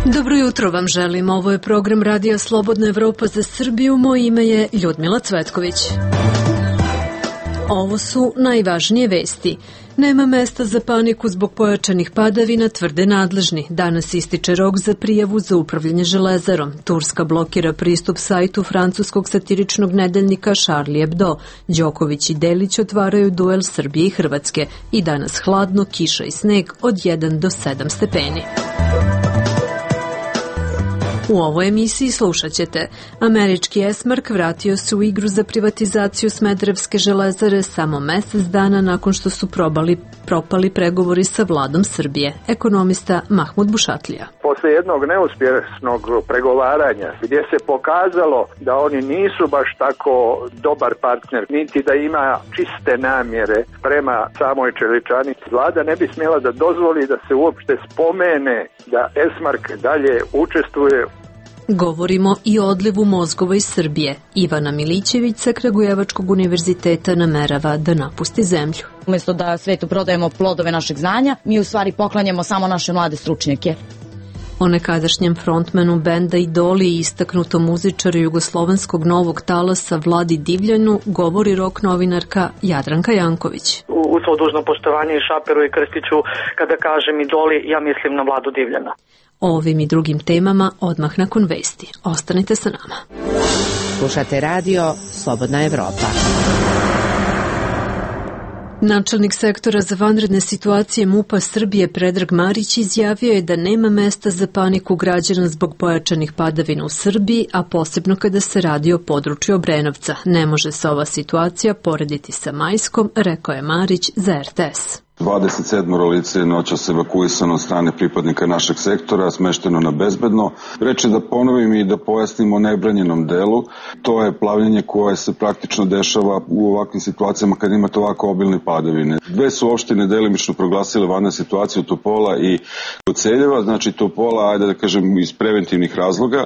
Dobro jutro vam želim. Ovo je program Radija Slobodna Evropa za Srbiju. Moje ime je Ljudmila Cvetković. Ovo su najvažnije vesti. Nema mesta za paniku zbog pojačanih padavina, tvrde nadležni. Danas ističe rok za prijavu za upravljanje železarom. Turska blokira pristup sajtu francuskog satiričnog nedeljnika Charlie Hebdo. Đoković i Delić otvaraju duel Srbije i Hrvatske. I danas hladno, kiša i sneg od 1 do 7 stepeni. U ovoj emisiji slušat ćete. Američki Esmark vratio se u igru za privatizaciju Smederevske železare samo mesec dana nakon što su propali pregovori sa vladom Srbije. Ekonomista Mahmud Bušatlija. Posle jednog neuspješnog pregovaranja gdje se pokazalo da oni nisu baš tako dobar partner, niti da ima čiste namjere prema samoj čeličani, vlada ne bi smjela da dozvoli da se uopšte spomene da Esmark dalje učestvuje. Govorimo i o odlivu mozgova iz Srbije. Ivana Milićević sa Kragujevačkog univerziteta namerava da napusti zemlju. Umjesto da svetu prodajemo plodove našeg znanja, mi u stvari poklanjamo samo naše mlade stručnjake. O nekadašnjem frontmanu benda Idoli i istaknutom muzičaru jugoslovenskog novog talasa Vladi Divljanu govori rock novinarka Jadranka Janković. U svo dužno poštovanje i Šaperu i Krstiću, kada kažem Idoli, ja mislim na Vladu Divljana. O ovim i drugim temama odmah nakon vesti. Ostanite sa nama. Slušate radio Slobodna Evropa. Načelnik sektora za vanredne situacije MUP-a Srbije Predrag Marić izjavio je da nema mesta za paniku građana zbog pojačanih padavina u Srbiji, a posebno kada se radi o području Obrenovca. Ne može se ova situacija porediti sa Majskom, rekao je Marić za RTS. 27 lice je noćas evakuisano od strane pripadnika našeg sektora, smešteno na bezbedno. Reče da ponovim i da pojasnimo o nebranjenom delu. To je plavljenje koje se praktično dešava u ovakvim situacijama kad imate ovako obilne padavine. Dve su opštine delimično proglasile vanrednu situaciju, Topola i Koceljeva, znači Topola, ajde da kažem, iz preventivnih razloga.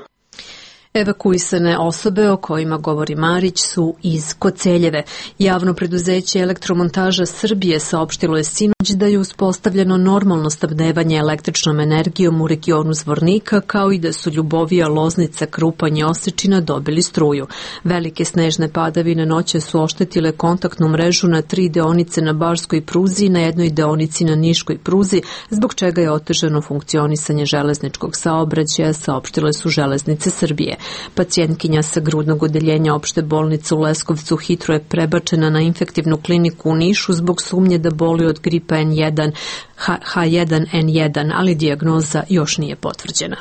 Evakuisane osobe o kojima govori Marić su iz Koceljeve. Javno preduzeće Elektromontaža Srbije saopštilo je sinoć da je uspostavljeno normalno snabdevanje električnom energijom u regionu Zvornika, kao i da su Ljubovija, Loznica, Krupanj i Osečina dobili struju. Velike snežne padavine noće su oštetile kontaktnu mrežu na 3 deonice na Barskoj pruzi i na jednoj deonici na Niškoj pruzi, zbog čega je otežano funkcionisanje železničkog saobraćaja, saopštile su Železnice Srbije. Pacijentkinja sa grudnog odeljenja opšte bolnice u Leskovcu hitro je prebačena na infektivnu kliniku u Nišu zbog sumnje da boli od gripa H1N1, ali dijagnoza još nije potvrđena.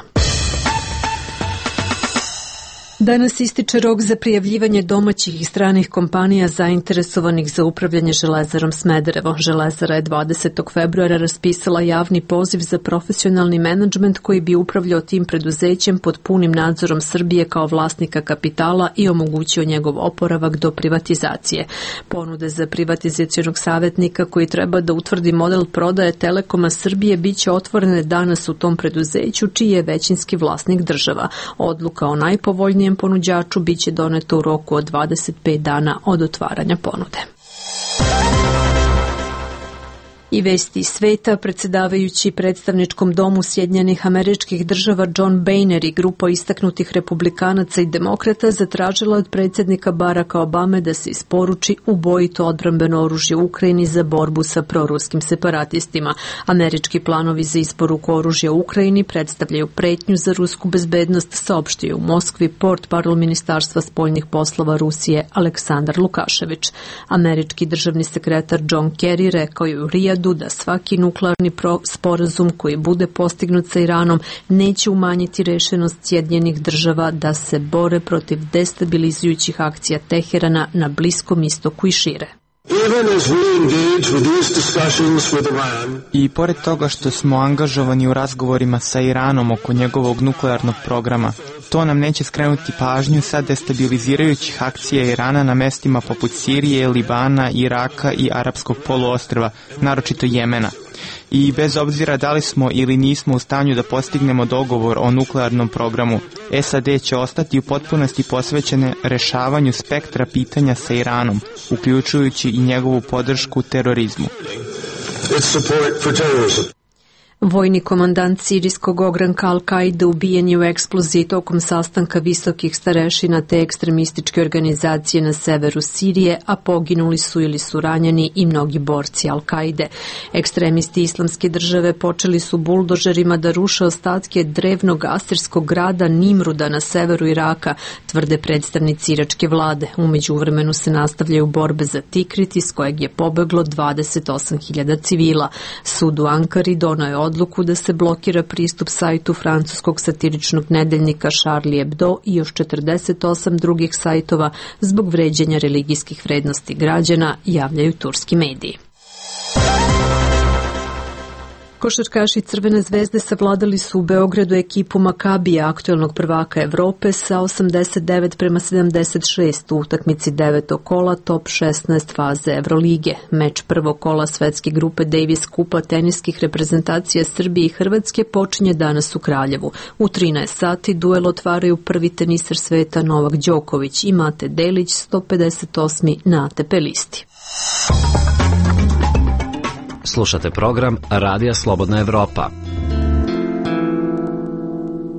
Danas ističe rok za prijavljivanje domaćih i stranih kompanija zainteresovanih za upravljanje železarom Smederevo. Železara je 20. februara raspisala javni poziv za profesionalni menadžment koji bi upravljao tim preduzećem pod punim nadzorom Srbije kao vlasnika kapitala i omogućio njegov oporavak do privatizacije. Ponude za privatizacionog savjetnika koji treba da utvrdi model prodaje Telekoma Srbije biće otvorene danas u tom preduzeću, čiji je većinski vlasnik država. Odluka o najpovoljnijem ponuđaču biće doneto u roku od 25 dana od otvaranja ponude. I vesti iz sveta, predsjedavajući predstavničkom domu Sjedinjenih Američkih Država John Boehner i grupa istaknutih republikanaca i demokrata zatražila od predsjednika Baracka Obame da se isporuči ubojito odbrambeno oružje Ukrajini za borbu sa proruskim separatistima. Američki planovi za isporuku oružja Ukrajini predstavljaju pretnju za rusku bezbednost, saopštio u Moskvi portparol Ministarstva spoljnih poslova Rusije Aleksandar Lukašević. Američki državni sekretar John Kerry rekao je u Rijadu da svaki nuklearni sporazum koji bude postignut sa Iranom neće umanjiti rešenost Sjedinjenih Država da se bore protiv destabilizujućih akcija Teherana na Bliskom istoku i šire. I pored toga što smo angažovani u razgovorima sa Iranom oko njegovog nuklearnog programa, to nam neće skrenuti pažnju sa destabilizirajućih akcija Irana na mestima poput Sirije, Libana, Iraka i Arapskog poluostrva, naročito Jemena. I bez obzira da li smo ili nismo u stanju da postignemo dogovor o nuklearnom programu, SAD će ostati u potpunosti posvećene rešavanju spektra pitanja sa Iranom, uključujući i njegovu podršku terorizmu. Vojni komandant sirijskog ogranka Al-Kaide ubijen je u eksploziji tokom sastanka visokih starešina te ekstremističke organizacije na severu Sirije, a poginuli su ili su ranjeni i mnogi borci Al-Kaide. Ekstremisti Islamske države počeli su buldožerima da ruše ostatke drevnog asirskog grada Nimruda na severu Iraka, tvrde predstavnici iračke vlade. U međuvremenu se nastavljaju borbe za Tikrit, iz kojeg je pobeglo 28.000 civila. Sud u Ankari donao je odluku da se blokira pristup sajtu francuskog satiričnog nedeljnika Charlie Hebdo i još 48 drugih sajtova zbog vređanja religijskih vrednosti građana, javljaju turski mediji. Košarkaši Crvene zvezde savladali su u Beogradu ekipu Makabija, aktuelnog prvaka Evrope, sa 89-76 u utakmici 9. kola top 16 faze Evrolige. Meč prvog kola svetske grupe Davis Kupa teniskih reprezentacija Srbije i Hrvatske počinje danas u Kraljevu. U 13 sati duel otvaraju prvi teniser sveta Novak Đoković i Mate Delić, 158. na ATP listi. Slušate program Radija Slobodna Evropa.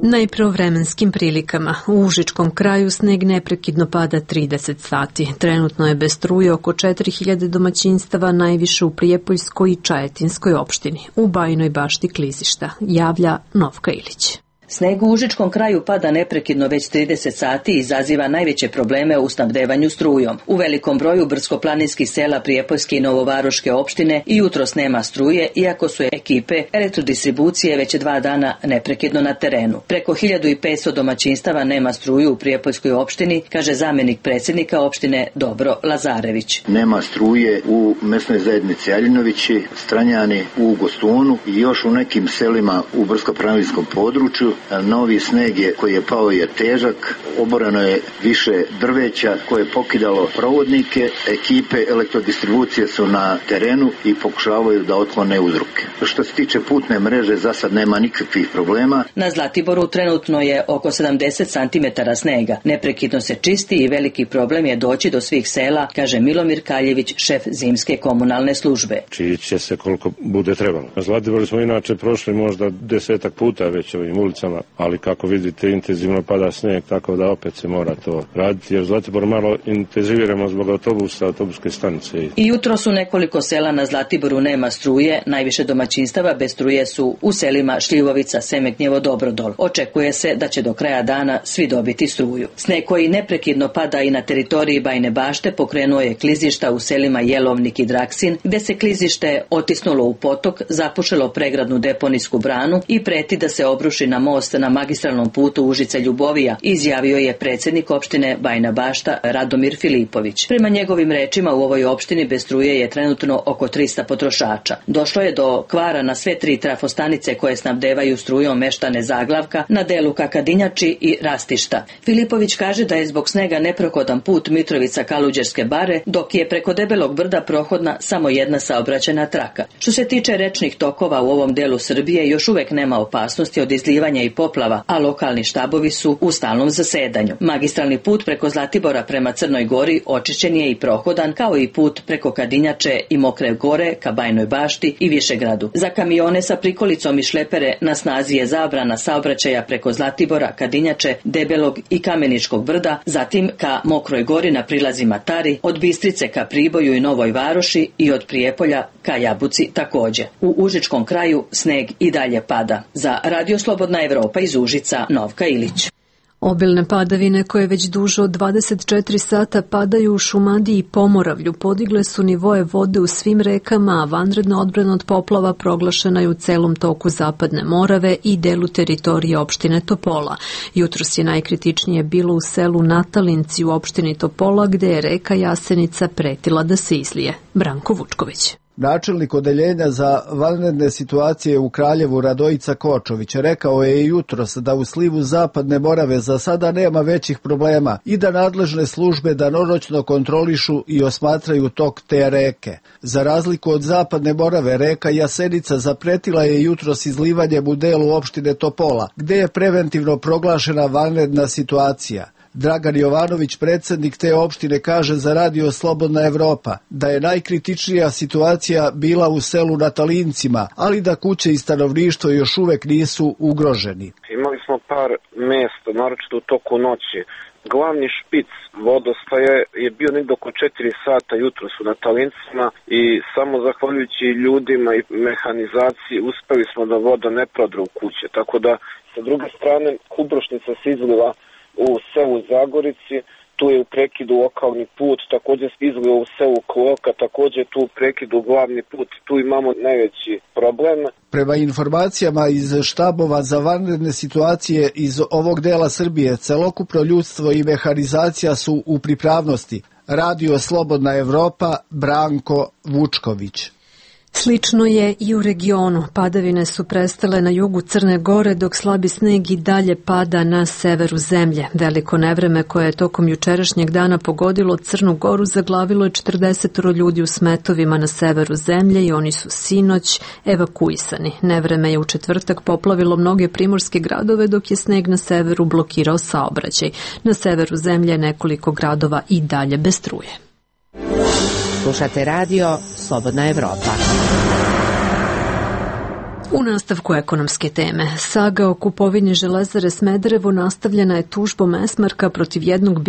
Najpre o vremenskim prilikama. U Užičkom kraju sneg neprekidno pada 30 sati. Trenutno je bez struje oko 4000 domaćinstava, najviše u Prijepoljskoj i Čajetinskoj opštini. U Bajinoj Bašti klizišta, javlja Novka Ilić. Sneg u Užičkom kraju pada neprekidno već 30 sati i izaziva najveće probleme u snabdevanju strujom. U velikom broju brdsko-planinskih sela Prijepoljske i Novovaroške opštine i jutros nema struje, iako su ekipe elektrodistribucije već 2 dana neprekidno na terenu. Preko 1500 domaćinstava nema struju u Prijepoljskoj opštini, kaže zamjenik predsjednika opštine Dobro Lazarević. Nema struje u mesnoj zajednici Aljinovići, Stranjani, u Gostunu i još u nekim selima u brdsko-planinskom području. Novi sneg koji je pao je težak, oboreno je više drveća koje je pokidalo provodnike, ekipe elektrodistribucije su na terenu i pokušavaju da otklone uzroke. Što se tiče putne mreže, za sad nema nikakvih problema. Na Zlatiboru trenutno je oko 70 cm snega. Neprekidno se čisti i veliki problem je doći do svih sela, kaže Milomir Kaljević, šef zimske komunalne službe. Čići će se koliko bude trebalo. Na Zlatiboru smo inače prošli možda 10 puta već ovim ulicama, ali kako vidite intenzivno pada snijeg, tako da opet se mora to raditi, jer Zlatibor malo intenziviramo zbog autobusa, autobuske stanice. I jutro su nekoliko sela na Zlatiboru nema struje, najviše domaćinstava bez struje su u selima Šljivovica, Semegnjevo, Dobrodol. Očekuje se da će do kraja dana svi dobiti struju. Sneg koji neprekidno pada i na teritoriji Bajine Bašte pokrenuo je klizišta u selima Jelovnik i Draksin, gde se klizište otisnulo u potok, zapušilo pregradnu deponijsku branu i preti da se obruši na most na magistralnom putu Užice-Ljubovija, izjavio je predsjednik opštine Bajina Bašta Radomir Filipović. Prema njegovim rečima, u ovoj opštini bez struje je trenutno oko 300 potrošača. Došlo je do kvara na sve 3 trafostanice koje snabdevaju strujom meštane Zaglavka, na delu Kakadinjači i Rastišta. Filipović kaže da je zbog snega neprohodan put Mitrovica-Kaluđerske bare, dok je preko Debelog brda prohodna samo jedna saobraćajna traka. Što se tiče rečnih tokova u ovom delu Srbije, još uvek nema opasnosti od izlivanja i poplava, a lokalni štabovi su u stalnom zasedanju. Magistralni put preko Zlatibora prema Crnoj Gori očišćen je i prohodan, kao i put preko Kadinjače i Mokre Gore ka Bajnoj Bašti i Višegradu. Za kamione sa prikolicom i šlepere na snazi je zabrana saobraćaja preko Zlatibora, Kadinjače, Debelog i Kameničkog brda, zatim ka Mokroj Gori na prilazima Tari, od Bistrice ka Priboju i Novoj Varoši i od Prijepolja ka Jabuci također. U Užičkom kraju sneg i dalje pada. Za Radio Slobodna Evropa iz Užica, Novka Ilić. Obilne padavine koje već duže od 24 sata padaju u Šumadiji i Pomoravlju podigle su nivoe vode u svim rekama, a vanredna odbrana od poplava proglašena je u celom toku Zapadne Morave i delu teritorije opštine Topola. Jutros je najkritičnije bilo u selu Natalinci u opštini Topola, gde je reka Jasenica pretila da se izlije. Branko Vučković. Načelnik odeljenja za vanredne situacije u Kraljevu Radojica Kočović rekao je jutros da u slivu Zapadne Morave za sada nema većih problema i da nadležne službe danonoćno kontrolišu i osmatraju tok te reke. Za razliku od Zapadne Morave, reka Jasenica zapretila je jutros izlivanjem u delu opštine Topola, gde je preventivno proglašena vanredna situacija. Dragan Jovanović, predsjednik te opštine, kaže za Radio Slobodna Evropa da je najkritičnija situacija bila u selu na Talincima, ali da kuće i stanovništvo još uvek nisu ugroženi. Imali smo par mesta, naročito u toku noći. Glavni špic vodostaje je bio negdje oko 4 sata jutros na Talincima i samo zahvaljujući ljudima i mehanizaciji uspeli smo da voda ne prodre u kuće. Tako da, sa druge strane, Kubrošnica se izliva u selu Zagorici, tu je u prekidu lokalni put, također se izliva u selu Kloka, također tu u prekidu glavni put, tu imamo najveći problem. Prema informacijama iz štabova za vanredne situacije iz ovog dela Srbije, celokupno ljudstvo i mehanizacija su u pripravnosti. Radio Slobodna Evropa, Branko Vučković. Slično je i u regionu. Padavine su prestale na jugu Crne Gore, dok slabi sneg i dalje pada na severu zemlje. Veliko nevreme koje je tokom jučerašnjeg dana pogodilo Crnu Goru zaglavilo je 40 ljudi u smetovima na severu zemlje i oni su sinoć evakuisani. Nevreme je u četvrtak poplavilo mnoge primorske gradove, dok je sneg na severu blokirao saobraćaj. Na severu zemlje je nekoliko gradova i dalje bez struje. Slušate radio Slobodna Evropa. U nastavku ekonomske teme, saga o kupovini Železare Smederevo nastavljena je tužbom Esmarka protiv jednog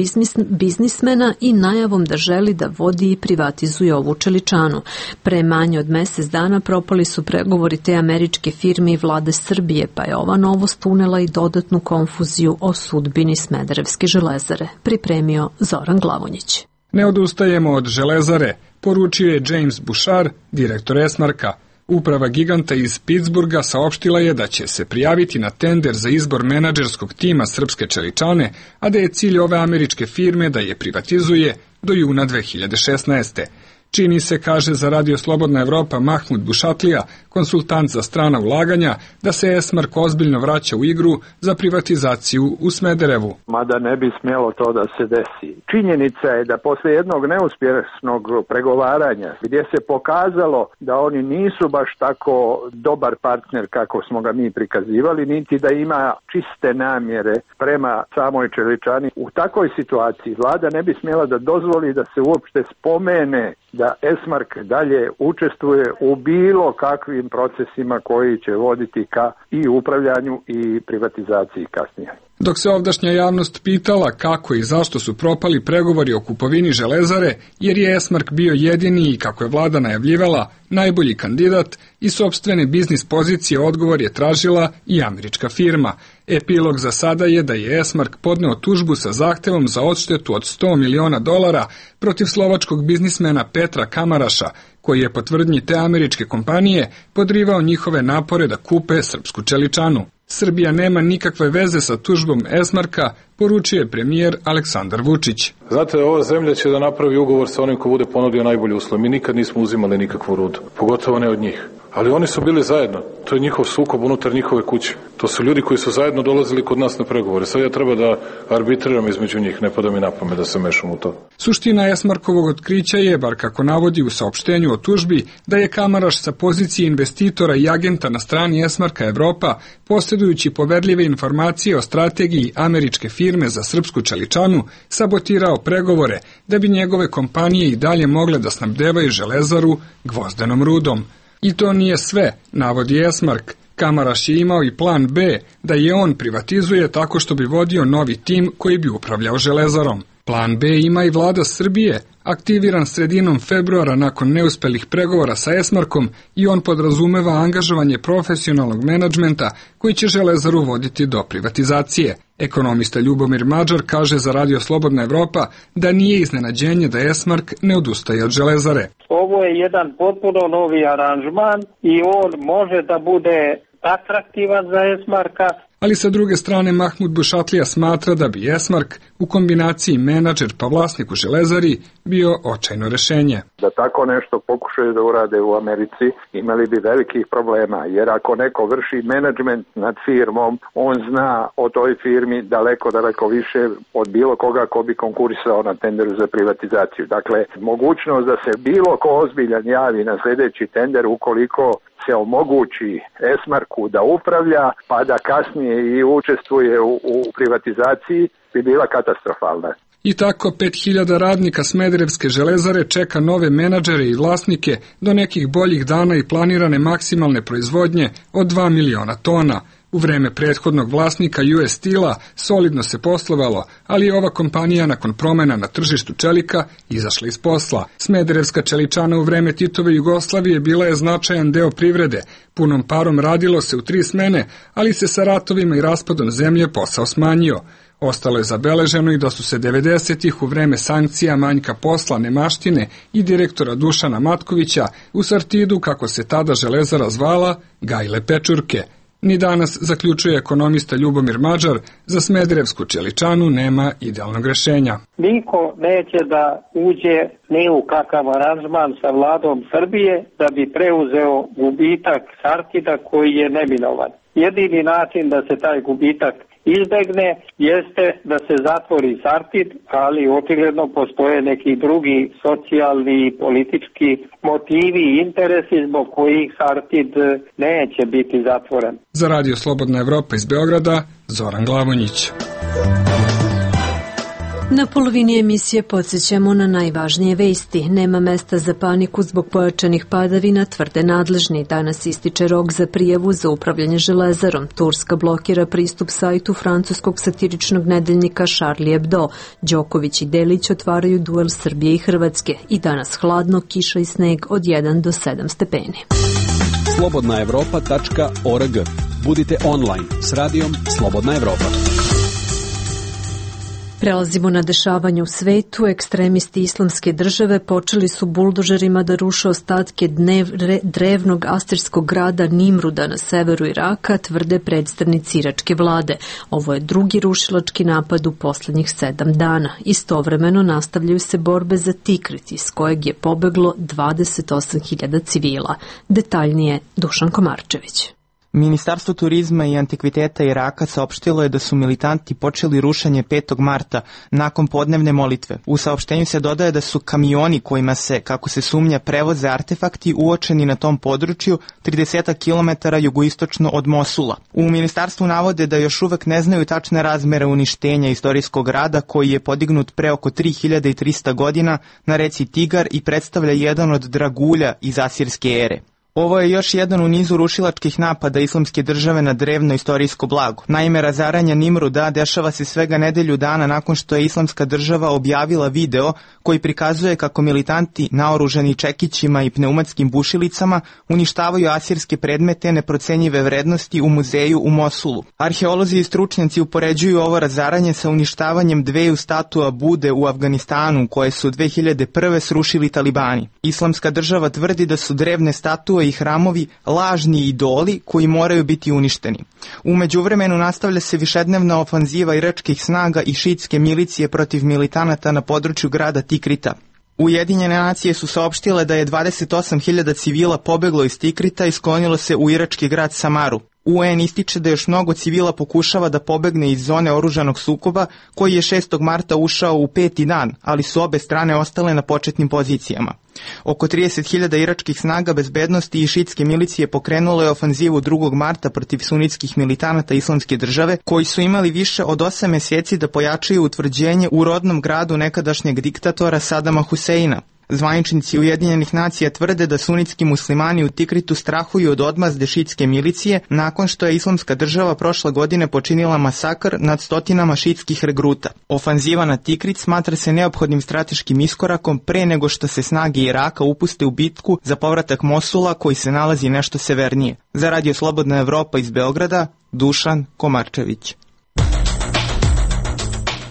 biznismena i najavom da želi da vodi i privatizuje ovu čeličanu. Pre manje od mesec dana propali su pregovori te američke firme i vlade Srbije, pa je ova novost unela i dodatnu konfuziju o sudbini Smederevske železare. Pripremio Zoran Glavonjić. Ne odustajemo od Železare, poručio je James Bouchard, direktor Esmarka. Uprava giganta iz Pittsburgha saopštila je da će se prijaviti na tender za izbor menadžerskog tima Srpske čeličane, a da je cilj ove američke firme da je privatizuje do juna 2016. Čini se, kaže za Radio Slobodna Evropa Mahmud Bušatlija, konsultant za strana ulaganja, da se Esmark ozbiljno vraća u igru za privatizaciju u Smederevu. Mada ne bi smjelo to da se desi. Činjenica je da posle jednog neuspješnog pregovaranja, gdje se pokazalo da oni nisu baš tako dobar partner kako smo ga mi prikazivali, niti da ima čiste namjere prema samoj čeličani, u takvoj situaciji vlada ne bi smjela da dozvoli da se uopšte spomene da Esmark dalje učestvuje u bilo kakvim procesima koji će voditi ka i upravljanju i privatizaciji kasnije. Dok se ovdašnja javnost pitala kako i zašto su propali pregovori o kupovini Železare, jer je Esmark bio jedini i, kako je vlada najavljivala, najbolji kandidat i sopstvene biznis pozicije odgovor je tražila i američka firma. Epilog za sada je da je Esmark podneo tužbu sa zahtevom za odštetu od $100 miliona protiv slovačkog biznismena Petra Kamaraša, koji je po tvrdnji te američke kompanije podrivao njihove napore da kupe srpsku čeličanu. Srbija nema nikakve veze sa tužbom Esmarka, poručuje premijer Aleksandar Vučić. Znate, ova zemlja će da napravi ugovor sa onim ko bude ponudio najbolji uslov. Mi nikad nismo uzimali nikakvu rudu, pogotovo ne od njih. Ali oni su bili zajedno. To je njihov sukob unutar njihove kuće. To su ljudi koji su zajedno dolazili kod nas na pregovore. Sad ja treba da arbitriram između njih, ne pada mi na pamet da se mešam u to. Suština Esmarkovog otkrića je, bar kako navodi u saopštenju o tužbi, da je Kamaraš sa pozicije investitora i agenta na strani Esmarka Evropa, posjedujući poverljive informacije o strategiji američke firme za srpsku čeličanu, sabotirao pregovore da bi njegove kompanije i dalje mogle da snabdevaju Železaru gvozdenom rudom. I to nije sve, navodi Esmark. Kamaraš je imao i plan B, da je on privatizuje tako što bi vodio novi tim koji bi upravljao Železarom. Plan B ima i vlada Srbije, aktiviran sredinom februara nakon neuspelih pregovora sa Esmarkom, i on podrazumeva angažovanje profesionalnog menadžmenta koji će Železaru voditi do privatizacije. Ekonomista Ljubomir Mađar kaže za Radio Slobodna Evropa da nije iznenađenje da Esmark ne odustaje od Železare. Ovo je jedan potpuno novi aranžman i on može da bude atraktivan za Esmarka. Ali sa druge strane Mahmud Bušatlija smatra da bi Esmark u kombinaciji menadžer pa vlasnik u Železari bio očajno rešenje. Da tako nešto pokušaju da urade u Americi, imali bi velikih problema, jer ako neko vrši menadžment nad firmom, on zna o toj firmi daleko više od bilo koga ko bi konkurisao na tenderu za privatizaciju. Dakle, mogućnost da se bilo ko ozbiljan javi na sljedeći tender ukoliko se omogući Esmarku da upravlja, pa da kasnije i učestvuje u privatizaciji, bi bila katastrofalna. I tako 5000 radnika Smederevske železare čeka nove menadžere i vlasnike do nekih boljih dana i planirane maksimalne proizvodnje od 2 miliona tona. U vreme prethodnog vlasnika US Steel-a solidno se poslovalo, ali je ova kompanija nakon promjena na tržištu čelika izašla iz posla. Smederevska čeličana u vreme Titove Jugoslavije bila je značajan deo privrede. Punom parom radilo se u 3 smene, ali se sa ratovima i raspadom zemlje posao smanjio. Ostalo je zabeleženo i da su se 90-ih u vreme sankcija, manjka posla, nemaštine i direktora Dušana Matkovića u Sartidu, kako se tada železara zvala, gajile pečurke. Ni danas, zaključuje ekonomista Ljubomir Mađar, za Smederevsku čeličanu nema idealnog rešenja. Niko neće da uđe ni u kakav aranžman sa vladom Srbije da bi preuzeo gubitak Sartida koji je neminovan. Jedini način da se taj gubitak izbegne jeste da se zatvori Sartid, ali očigledno postoje neki drugi socijalni i politički motivi i interesi zbog kojih Sartid neće biti zatvoren. Za Radio Slobodna Evropa iz Beograda, Zoran Glavonjić. Na polovini emisije podsjećamo na najvažnije vesti. Nema mesta za paniku zbog pojačanih padavina, tvrde nadležni. Danas ističe rok za prijavu za upravljanje železarom. Turska blokira pristup sajtu francuskog satiričnog nedeljnika Charlie Hebdo. Đoković i Delić otvaraju duel Srbije i Hrvatske. I danas hladno, kiša i sneg od 1 do 7 stepeni. slobodnaevropa.org. Budite online s radijom Slobodna Evropa. Prelazimo na dešavanje u svetu. Ekstremisti Islamske države počeli su buldožerima da ruše ostatke drevnog asirskog grada Nimruda na severu Iraka, tvrde predstavnici iračke vlade. Ovo je drugi rušilački napad u posljednjih 7 dana. Istovremeno nastavljaju se borbe za Tikrit, iz kojeg je pobeglo 28.000 civila. Detaljnije Dušan Komarčević. Ministarstvo turizma i antikviteta Iraka saopštilo je da su militanti počeli rušenje 5. marta nakon podnevne molitve. U saopštenju se dodaje da su kamioni kojima se, kako se sumnja, prevoze artefakti uočeni na tom području 30 km jugoistočno od Mosula. U ministarstvu navode da još uvek ne znaju tačne razmere uništenja istorijskog grada koji je podignut pre oko 3300 godina na reci Tigar i predstavlja jedan od dragulja iz asirske ere. Ovo je još jedan u nizu rušilačkih napada Islamske države na drevno istorijsko blago. Naime, razaranje Nimruda dešava se svega nedelju dana nakon što je Islamska država objavila video koji prikazuje kako militanti naoružani čekićima i pneumatskim bušilicama uništavaju asirske predmete neprocenjive vrednosti u muzeju u Mosulu. Arheolozi i stručnjaci upoređuju ovo razaranje sa uništavanjem 2 statua Bude u Afganistanu koje su 2001. srušili talibani. Islamska država tvrdi da su drevne statue i hramovi lažni idoli koji moraju biti uništeni. U međuvremenu nastavlja se višednevna ofanziva iračkih snaga i šiitske milicije protiv militanata na području grada Tikrita. Ujedinjene nacije su saopštile da je 28.000 civila pobeglo iz Tikrita i sklonilo se u irački grad Samaru. UN ističe da još mnogo civila pokušava da pobegne iz zone oružanog sukoba koji je 6. marta ušao u 5. dan, ali su obe strane ostale na početnim pozicijama. Oko 30.000 iračkih snaga bezbednosti i šiitske milicije pokrenulo je ofanzivu 2. marta protiv sunitskih militanata Islamske države koji su imali više od 8 mjeseci da pojačaju utvrđenje u rodnom gradu nekadašnjeg diktatora Sadama Huseina. Zvaničnici Ujedinjenih nacija tvrde da sunitski muslimani u Tikritu strahuju od odmazde šiitske milicije nakon što je Islamska država prošle godine počinila masakr nad stotinama šiitskih regruta. Ofanziva na Tikrit smatra se neophodnim strateškim iskorakom pre nego što se snage Iraka upuste u bitku za povratak Mosula koji se nalazi nešto severnije. Za Radio Slobodna Evropa iz Beograda, Dušan Komarčević.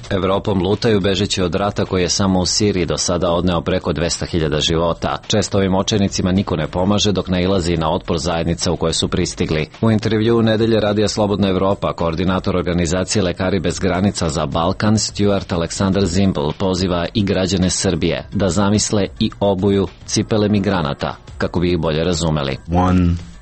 Evropom lutaju bežeći od rata koji je samo u Siriji do sada odneo preko 200.000 života. Često ovim očajnicima niko ne pomaže dok nailazi na otpor zajednica u koje su pristigli. U intervjuu nedelje Radija Slobodna Evropa, koordinator organizacije Lekari bez granica za Balkan, Stuart Aleksandar Zimbel, poziva i građane Srbije da zamisle i obuju cipele migranata kako bi ih bolje razumeli.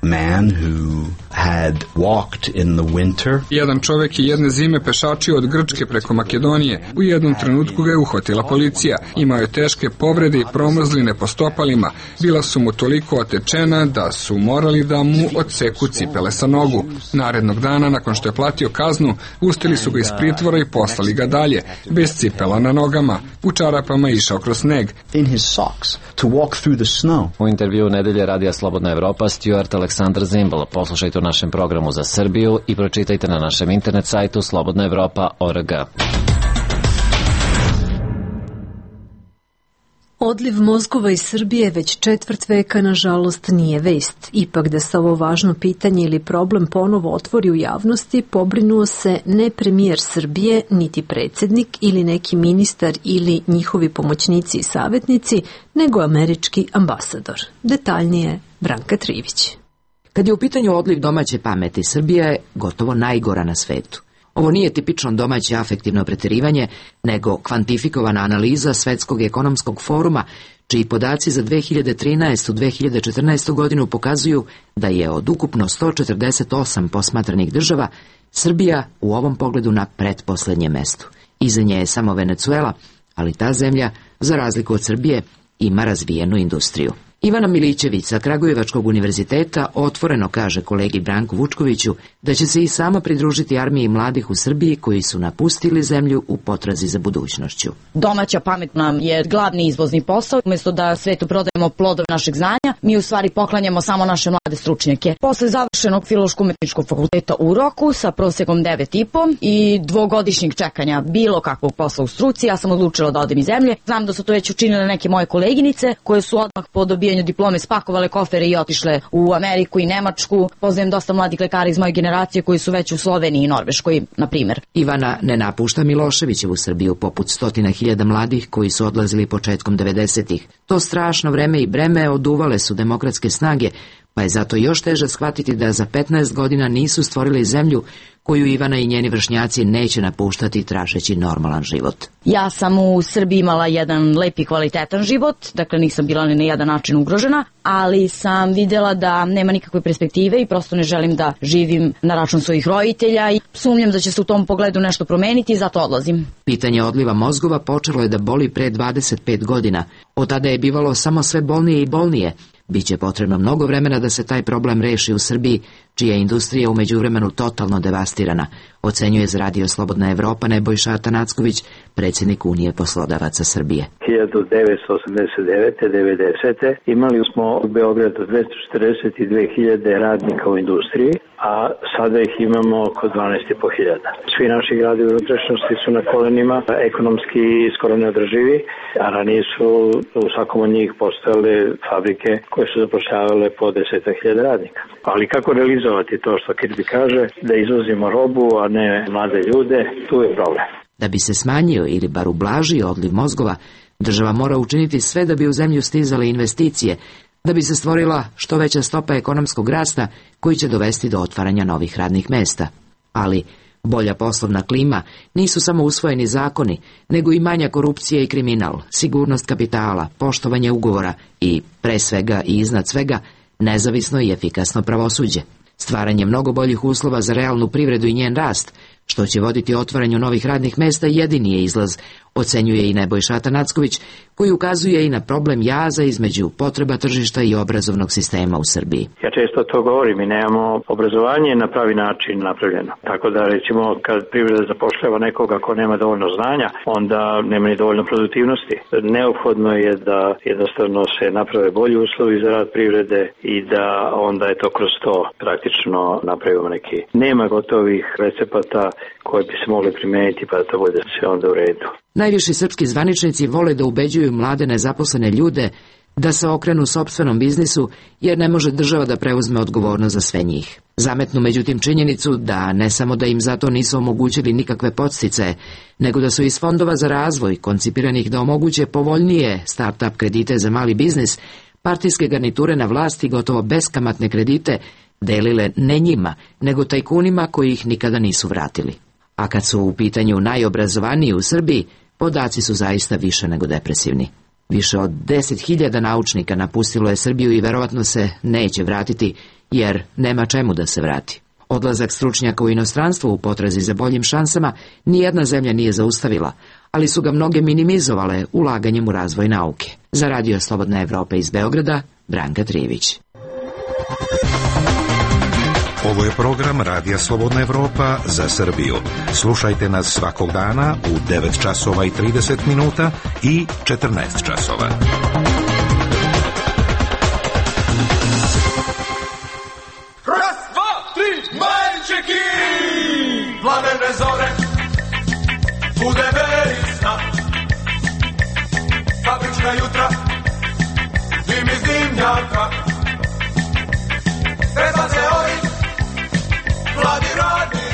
Man who had walked in the winter. Jedan čovjek je jedne zime pešačio od Grčke preko Makedonije. U jednom trenutku ga je uhvatila policija. Imao je teške povrede i promrzline po stopalima. Bila su mu toliko otečena da su morali da mu odseku cipele sa nogu. Narednog dana, nakon što je platio kaznu, pustili su ga iz pritvora i poslali ga dalje, bez cipela na nogama. U čarapama je išao kroz sneg. In his socks to walk through the snow. U intervjuu nedelje Radija Slobodna Evropa, Stuart Aleksandar Zimbel. Poslušajte u našem programu za Srbiju i pročitajte na našem internet sajtu slobodnaevropa.org. Odliv mozgova iz Srbije već četvrt veka, nažalost, nije vest. Ipak da se ovo važno pitanje ili problem ponovo otvori u javnosti, pobrinuo se ne premijer Srbije, niti predsjednik ili neki ministar ili njihovi pomoćnici i savjetnici, nego američki ambasador. Detaljnije Branka Trivić. Kad je u pitanju odliv domaće pameti, Srbija je gotovo najgora na svetu. Ovo nije tipično domaće afektivno preterivanje, nego kvantifikovana analiza Svetskog ekonomskog foruma, čiji podaci za 2013-2014 godinu pokazuju da je od ukupno 148 posmatranih država Srbija u ovom pogledu na pretposlednjem mestu. Iza nje je samo Venecuela, ali ta zemlja, za razliku od Srbije, ima razvijenu industriju. Ivana Milićević sa Kragujevačkog univerziteta otvoreno kaže kolegi Branku Vučkoviću da će se i sama pridružiti armiji mladih u Srbiji koji su napustili zemlju u potrazi za budućnošću. Domaća pamet nam je glavni izvozni posao. Umjesto da svetu prodajemo plodove našeg znanja, mi u stvari poklanjamo samo naše mlade stručnjake. Posle završenog Filološko-umetničkog fakulteta u Roku sa prosekom 9,5 i dvogodišnjeg čekanja bilo kakvog posla u struci, ja sam odlučila da odem iz zemlje. Znam da su to već učinile neke moje koleginice koje su odmah po dobijanju diplome spakovale kofere i otišle u Ameriku i Nemačku. Poznajem dosta mladih lekara iz moje generacije koji su već u Sloveniji i Norveškoj, na primjer. Ivana ne napušta Miloševićevu Srbiju poput 100.000 mladih koji su odlazili početkom 90-ih. To strašno vreme i breme oduvale su demokratske snage, pa je zato još teže shvatiti da za 15 godina nisu stvorili zemlju koju Ivana i njeni vršnjaci neće napuštati tražeći normalan život. Ja sam u Srbiji imala jedan lep i kvalitetan život, dakle nisam bila ni na jedan način ugrožena, ali sam vidjela da nema nikakve perspektive i prosto ne želim da živim na račun svojih roditelja i sumnjam da će se u tom pogledu nešto promeniti i zato odlazim. Pitanje odliva mozgova počelo je da boli pre 25 godina. Od tada je bivalo samo sve bolnije i bolnije. Biće potrebno mnogo vremena da se taj problem reši u Srbiji, čija je industrija u međuvremenu totalno devastirana, ocenjuje za Radio Slobodna Evropa Nebojša Atanacković, predsjednik Unije poslodavaca Srbije. 1989-90. imali smo u Beogradu 242.000 radnika u industriji, a sada ih imamo oko 12.500. Svi naši gradovi u unutrašnjosti su na kolenima, ekonomski skoro neodrživi, a ranije su u svakom od njih postojale fabrike koje su zapošljavale po 10.000 radnika. Ali kako realizovati to što Kirby kaže, da izvozimo robu, a ne mlade ljude, tu je problem. Da bi se smanjio ili bar ublažio odliv mozgova, država mora učiniti sve da bi u zemlju stizale investicije, da bi se stvorila što veća stopa ekonomskog rasta koji će dovesti do otvaranja novih radnih mesta. Ali bolja poslovna klima nisu samo usvojeni zakoni, nego i manja korupcija i kriminal, sigurnost kapitala, poštovanje ugovora i, pre svega i iznad svega, nezavisno i efikasno pravosuđe. Stvaranje mnogo boljih uslova za realnu privredu i njen rast, što će voditi otvaranju novih radnih mesta, jedini je izlaz, ocenjuje i Nebojša Atanacković, koji ukazuje i na problem jaza između potreba tržišta i obrazovnog sistema u Srbiji. Ja često to govorim, mi nemamo obrazovanje na pravi način napravljeno. Tako da recimo kad privreda zapošljava nekoga ko nema dovoljno znanja, onda nema ni dovoljno produktivnosti. Neophodno je da jednostavno se naprave bolji uslovi za rad privrede i da onda je to kroz to praktično napravimo neki. Nema gotovih recepata koje bi se mogli primijeniti pa da to bude sve onda u redu. Najviši srpski zvaničnici vole da ubeđuju mlade nezaposlene ljude da se okrenu sopstvenom biznisu, jer ne može država da preuzme odgovornost za sve njih. Zametnu međutim činjenicu da ne samo da im zato nisu omogućili nikakve podsticaje, nego da su iz fondova za razvoj, koncipiranih da omoguće povoljnije start-up kredite za mali biznis, partijske garniture na vlasti gotovo beskamatne kredite delile ne njima, nego tajkunima koji ih nikada nisu vratili. A kad su u pitanju najobrazovaniji u Srbiji, podaci su zaista više nego depresivni. Više od 10.000 naučnika napustilo je Srbiju i verovatno se neće vratiti, jer nema čemu da se vrati. Odlazak stručnjaka u inostranstvo u potrazi za boljim šansama nijedna zemlja nije zaustavila, ali su ga mnoge minimizovale ulaganjem u razvoj nauke. Za Radio Slobodna Evropa iz Beograda, Branka Trivić. Ovo je program Radija Slobodna Evropa za Srbiju. Slušajte nas svakog dana u 9 časova i 30 minuta i 14 časova. Raz, dva, tri, majčeki! Plamene zore, bude verisna. Fabrička jutra, dim iz dimnjaka. Treba se ori, mladi radnici.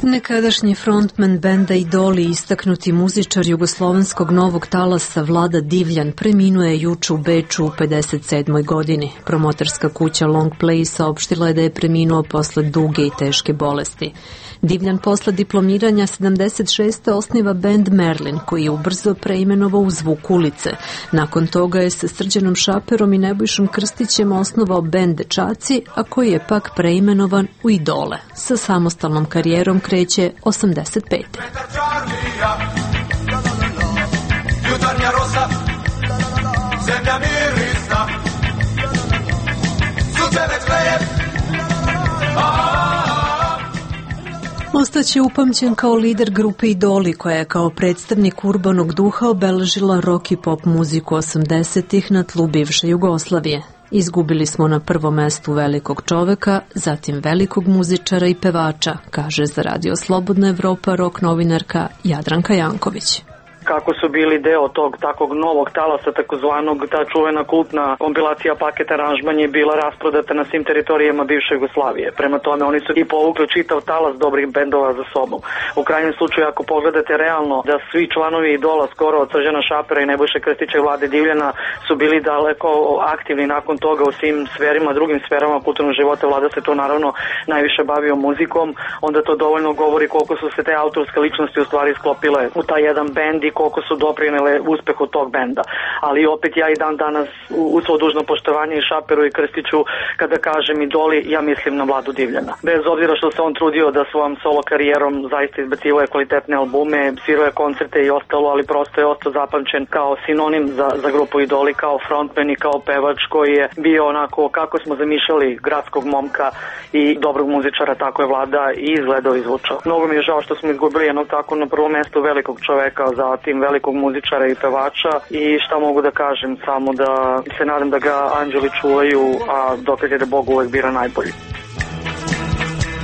Nekadašnji frontman benda Idoli, istaknuti muzičar jugoslovenskog novog talasa Vlada Divljan, preminuo je juče u Beču u 57. godini. Promotorska kuća Long Play saopštila je da je preminuo posle duge i teške bolesti. Divljan posle diplomiranja 76. osniva bend Merlin, koji je ubrzo preimenovao u Zvuk ulice. Nakon toga je sa Srđanom Šaperom i Nebojšom Krstićem osnovao bend Dečaci, a koji je pak preimenovan u Idole. Sa samostalnom karijerom kreće 85. Jutarnja rosa, zemlja mirisna, sunce već greje. Ostaće upamćen kao lider grupe Idoli, koja je kao predstavnik urbanog duha obeležila rock i pop muziku 80-ih na tlu bivše Jugoslavije. Izgubili smo na prvom mestu velikog čoveka, zatim velikog muzičara i pevača, kaže za Radio Slobodna Evropa rock novinarka Jadranka Janković. Kako su bili deo tog takvog novog talasa, takozvanog, ta čuvena kultna kompilacija paket aranžman je bila rasprodata na svim teritorijama bivše Jugoslavije. Prema tome oni su i povukli čitav talas dobrih bendova za sobom. U krajnjem slučaju, ako pogledate realno da svi članovi Idola, skoro od Srđana Šapera i Nebojše Krstića i Vlade Divljana, su bili daleko aktivni nakon toga u svim sferima, drugim sferama kulturnog života. Vlada se to naravno najviše bavio muzikom, onda to dovoljno govori koliko su se te autorske ličnosti u stvari sklopile u taj jedan bend i koliko su doprinele uspehu tog benda. Ali opet ja i dan danas u svo dužno poštovanje i Šaperu i Krstiću, kada kažem Idoli, ja mislim na Vladu Divljana. Bez obzira što se on trudio da svojom solo karijerom zaista izbacivao kvalitetne albume, svirao je koncerte i ostalo, ali prosto je ostao zapamćen kao sinonim za grupu Idoli, kao frontman i kao pevač koji je bio onako kako smo zamišljali gradskog momka i dobrog muzičara, tako je Vlada i izgledao i zvučao. Mnogo mi je žao što smo izgubili jednog tako na prvom mestu velikog čoveka, zatim velikog muzičara i pevača i šta mogu da kažem, samo da se nadam da ga anđeli čuvaju, a dokaz je da Bog uvek bira najbolji.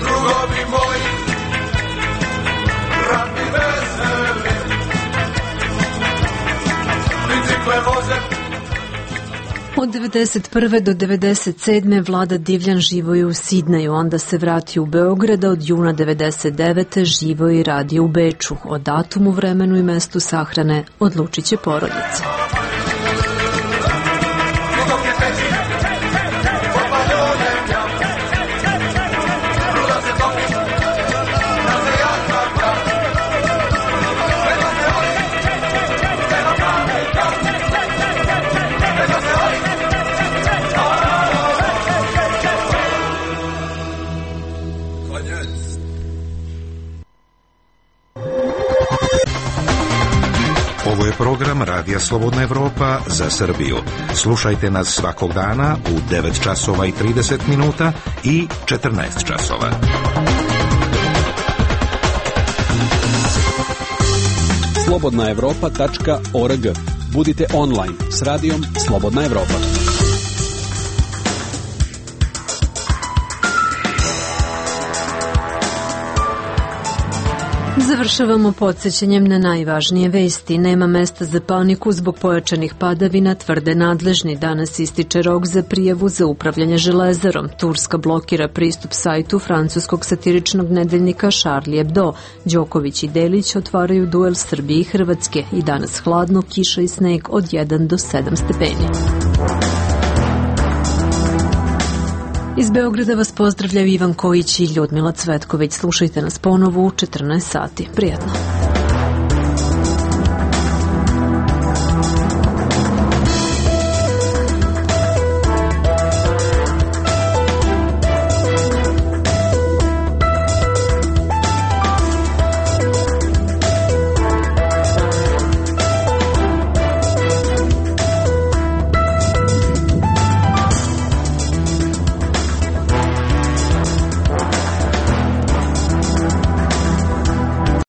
Drugovi moji, radni veseli, bicikle voze. Od 91. do 97. Vlada Divljan živo je u Sidneju, onda se vrati u Beograd, a od juna 99. živo i radi u Beču. O datumu, vremenu i mestu sahrane odlučit će porodica. Ovo je program Radija Slobodna Evropa za Srbiju. Slušajte nas svakog dana u 9 časova i 30 minuta i 14 časova. slobodnaevropa.org. Budite online s radijom Slobodna Evropa. Završavamo podsjećanjem na najvažnije vesti. Nema mesta za paniku zbog pojačanih padavina, tvrde nadležni. Danas ističe rok za prijavu za upravljanje železarom. Turska blokira pristup sajtu francuskog satiričnog nedeljnika Charlie Hebdo. Đoković i Delić otvaraju duel Srbije i Hrvatske. I danas hladno, kiša i sneg od 1 do 7 stepeni. Iz Beograda vas pozdravljaju Ivan Kojić i Ljudmila Cvetković. Slušajte nas ponovo u 14 sati. Prijatno.